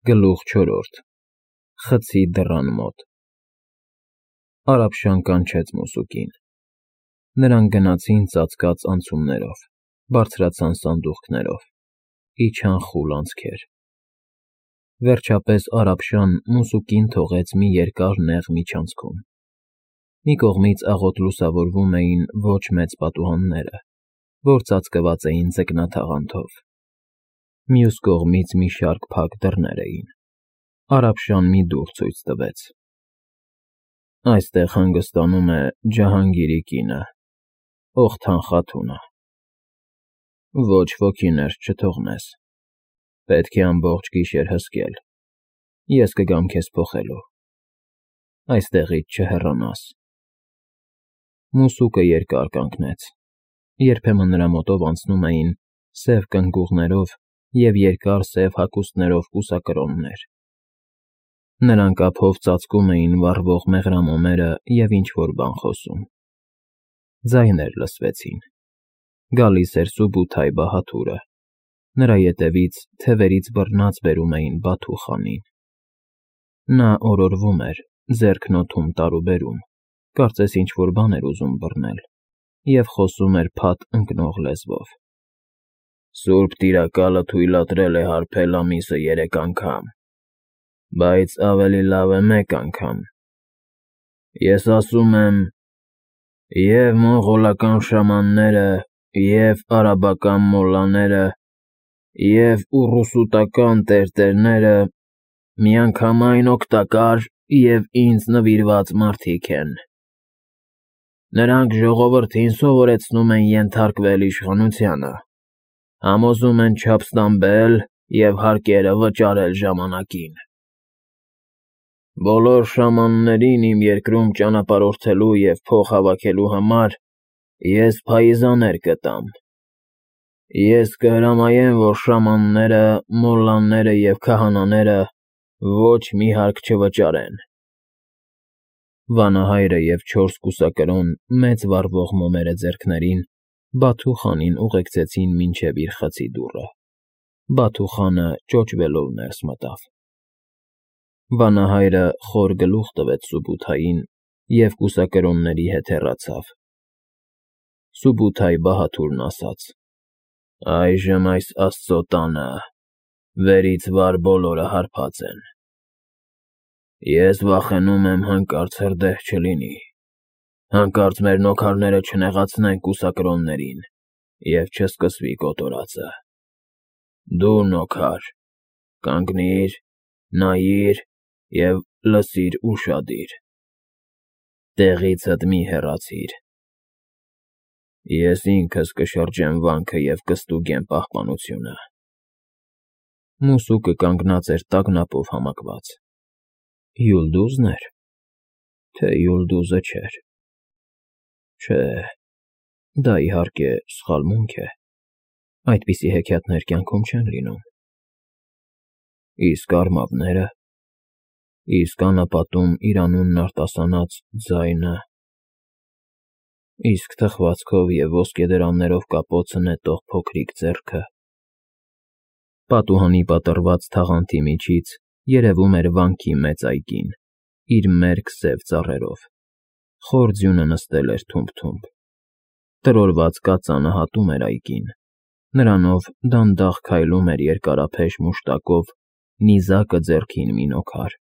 Գլուխ 4 Խցի դռան մոտ Արաբշան կանչեց Մուսուկին։ Նրանք գնացին ծածկած անցումներով, բարձրացան սանդուղքներով, իջան խուլ անցքեր։ Վերջապես Արաբշան Մուսուկին թողեց մի երկար նեղ միջանցքում։ Մի կողմից աղոտ լուսավորվում էին ոչ մեծ պատուհանները, որ ծածկված էին ձկնաթաղանթով, մյուս կողմից մի շարք փակ դռներ էին։ Արաբշան մի դուռ ցույց տվեց։ Այստեղ հանգստանում է Ջահանգիրի կինը, Օխթան Խաթունը։ Ոչ ոքի ներս չթողնես, պետք է ամբողջ գիշեր հսկել, ես կգամ քեզ փոխելու, այստեղից չհեռանաս։ Մուսուկը երկար կանգնեց, երբեմն նրա մոտով անցնում էին սև կնգուղներով և երկար սև հագուստներով կուսակրոններ։ Նրանք ափով ծածկում էին վառվող մեղրամոմերը և ինչ֊որ բան խոսում։ Ձայներ լսվեցին։ Գալիս էր Սուբութայ Բահաթուրը, նրա ետևից թևերից բռնած բերում էին Բաթու խանին։ Նա օրորվում էր, ձեռքն օդում տարուբերում, կարծես ինչ֊որ բան էր ուզում բռնել, և խոսում էր փաթ ընկնող լեզվով։ Սուրբ տիրակալը թույլատրել է հարբել ամիսը 3 անգամ, բայց ավելի լավ է մեկ անգամ։ Ես ասում եմ, և մոնղոլական շամանները, և արաբական մոլլաները, և ուռուսուտական տերտերները միանգամայն օգտակար և ինձ նվիրված մարդիկ են։ Նրանք ժողովրդին սովորեցնում են ենթարկվել իշխանությանը, համոզում են չափ ստամբել և հարկերը վճարել ժամանակին։ Բոլոր շամաններին իմ երկրում ճանապարհորդելու և փող հավաքելու համար ես փայիզաներ կտամ։ Ես կհրամայեմ, որ շամանները, մոլլաները և քահանաները ոչ մի հարկ չվճարեն։ Վանահայրը և 4 կուսակրոն մեծ վառվող մոմերը ձեռքներին Բաթու խանին ուղեկցեցին մինչև իր խցի դուռը։ Բաթու խանը ճոճվելով ներս մտավ։ Վանահայրը խոր գլուխ տվեց Սուբութային և կուսակրոնների հետ հեռացավ։ Սուբութայ Բահաթուրն ասաց. Այժմ այս Աստծո տանը վերից վար բոլորը հարբած են։ Ես վախենում եմ հանկարծ հրդեհ չլինի, հանկարծ մեր նոքարները չնեղացնեն կուսակրոններին և չսկսվի կոտորածը։ Դու նոքար, կանգնիր, նայիր և լսիր ուշադիր։ Տեղիցդ մի հեռացիր։ Ես ինքս կշրջեմ վանքը և կստուգեմ պահպանությունը։ Մուսուկը կանգնած էր տագնապով համակված։ Յուլդուզն էր, թե Յուլդուզը չէր։ Չէ, դա, իհարկե, սխալմունք է, այդպիսի հեքիաթներ կյանքում չեն լինում։ Իսկ արմատնե՞րը, իսկ անապատում իր անունն արտասանած ձայնը, իսկ թխվածքով և ոսկեդրաններով կապոցը նետող փոքրիկ ձեռքը։ Պատուհանի պատռված թաղանթի միջից երևում էր վանքի մեծ այգին, իր մերկ սև ծառերով։ Խոր ձյունը նստել էր թումբ֊թումբ։ Տրորված կածանը հատում էր այգին, նրանով դանդաղ քայլում էր երկարափեշ մուշտակով, նիզակը ձեռքին մի նոքար։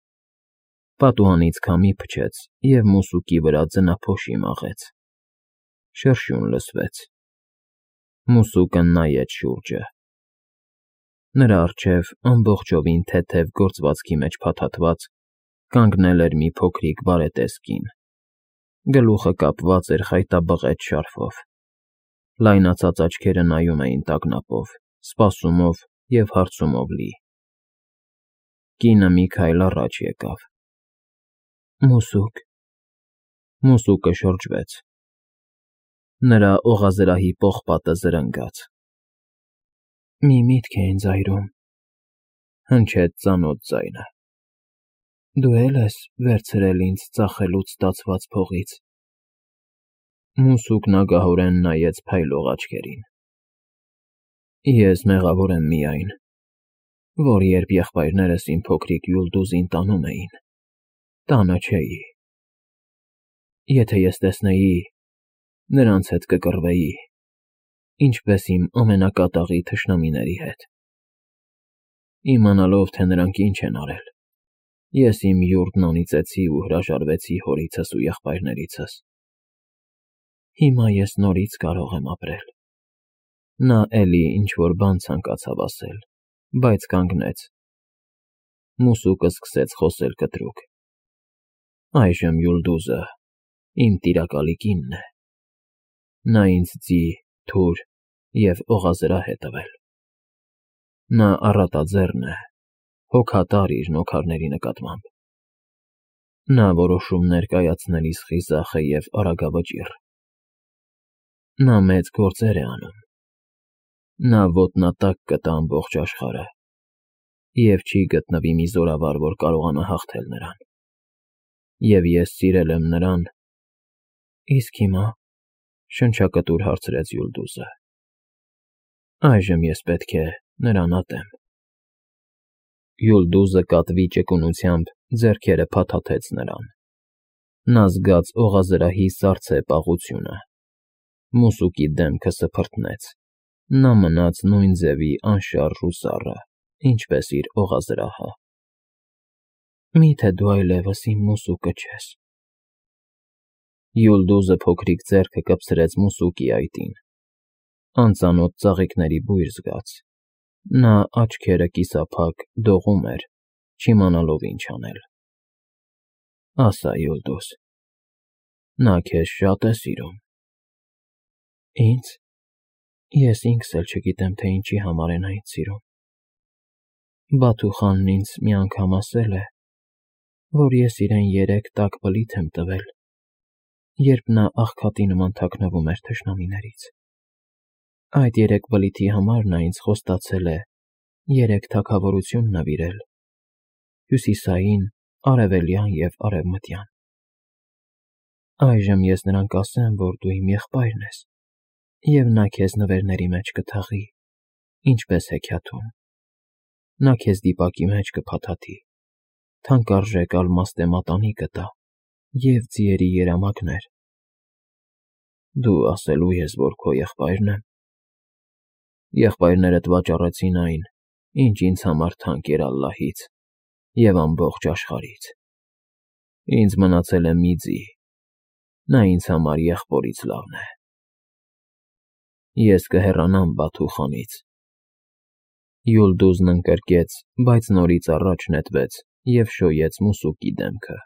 Պատուհանից քամի փչեց և մուսուկի վրա ձնափոշի մաղեց։ Շրշյուն լսվեց։ Մուսուկը նայեց շուրջը։ Նրա առջև ամբողջովին թեթև գործվածքի մեջ փաթաթված կանգնել էր մի փոքրիկ բարետես կին։ Գլուխը կապված էր խայտաբղետ շարֆով։ Լայնացած աչքերը նայում էին տագնապով, սպասումով և հարցումով լի։ Կինը մի քայլ առաջ եկավ։ Մուսուկ։ Մուսուկը շրջվեց։ Նրա օղազրահի պողպատը զրնգաց։ Մի միտք է ինձ այրում, հնչեց ծանոթ ձայնը։ Դու է՞լ ես վերցրել ինձ ծախելուց ստացված փողից։ Մուսուկն ագահորեն նայեց փայլող աչքերին։ Ես մեղավոր եմ միայն, որ երբ եղբայրներս իմ փոքրիկ Յուլդուզին տանում էին, տանը չէի։ Եթե ես տեսնեի, նրանց հետ կկռվեի, ինչպես իմ ամենակատաղի թշնամիների հետ։ Իմանալով, թե նրանք ինչ են արել, ես իմ յուրտն անիծեցի ու հրաժարվեցի հորիցս ու եղբայրներիցս։ Հիմա ես նորից կարող եմ ապրել։ Նա էլի ինչ-որ բան ցանկացավ ասել, բայց կանգնեց։ Մուսուկը սկսեց խոսել կտրուկ։ Այժմ Յուլդուզը իմ տիրակալի կինն է։ Նա ինձ ձի, թուր և օղազրահ է տվել։ Նա առատաձեռն է, հոգատար իր նոքարների նկատմամբ։ Նա որոշումներ կայացնելիս խիզախ է և արագավճիռ։ Նա մեծ գործեր է անում։ Նա ոտնատակ կտա ամբողջ աշխարհը, և չի գտնվի մի զորավար, որ կարողանա հաղթել նրան։ Եվ ես սիրել եմ նրան… Իսկ հիմա, շնչակտուր հարցրեց Յուլդուզը, այժմ ես պետք է նրան ատեմ։ Յուլդուզը կատվի ճկունությամբ ձեռքերը փաթաթեց նրան։ Նա զգաց օղազրահի սառցե պաղությունը։ Մուսուկի դեմքը սփռտնեց։ Նա մնաց նույն ձևի անշարժ ու սառը, ինչպես իր օղազրահը։ Մի՞թե դու այլևս իմ մուսուկը չես։ Յուլդուզը փոքրիկ ձեռքը կպցրեց մուսուկի այտին։ Անծանոթ ծաղիկների բույր զգաց։ Նա աչքերը կիսափակ դողում էր, չիմանալով ինչ անել։ Ասա, Յուլդուզ, նա քեզ շա՞տ է սիրում։ Ինձ… Ես ինքս էլ չգիտեմ, թե ինչի համար է նա ինձ սիրում։ Բաթուխանն ինձ մի անգամ ասել է, որ ես իրեն 3 տաք բլիթ եմ տվել, երբ նա աղքատի նման թաքնվում էր թշնամիներից։ Այդ 3 բլիթի համար նա ինձ խոստացել է 3 թագավորություն նվիրել՝ հյուսիսային, արևելյան և արևմտյան։ Այժմ ես նրան կասեմ, որ դու իմ եղբայրն ես, և նա քեզ նվերների մեջ կթաղի, ինչպես հեքիաթում։ Նա քեզ դիպակի մեջ կփաթաթի, թանկարժեք ալմաստե մատանի կտա և ձիերի երամակներ։ Դու ասելո՞ւ ես, որ քո եղբայրն եմ։ Եղբայրներդ վաճառեցին այն, ինչ ինձ համար թանկ էր Ալլահից և ամբողջ աշխարհից։ Ինձ մնացել է մի ձի, նա ինձ համար եղբորից լավն է։ Ես կհեռանամ Բաթուխանից։ Յուլդուզն ընկրկեց, բայց նորից առաջ նետվեց և շոյեց մուսուկի դեմքը։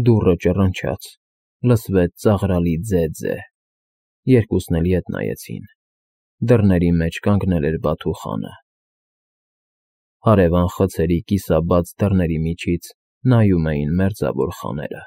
Դուռը ճռնչաց, լսվեց ծաղրալի ձե-ձե։ Երկուսն էլ ետ նայեցին։ Դռների մեջ կանգնել էր Բաթուխանը։ Հարևան խցերի կիսաբաց դռների միջից նայում էին մերձավոր խաները։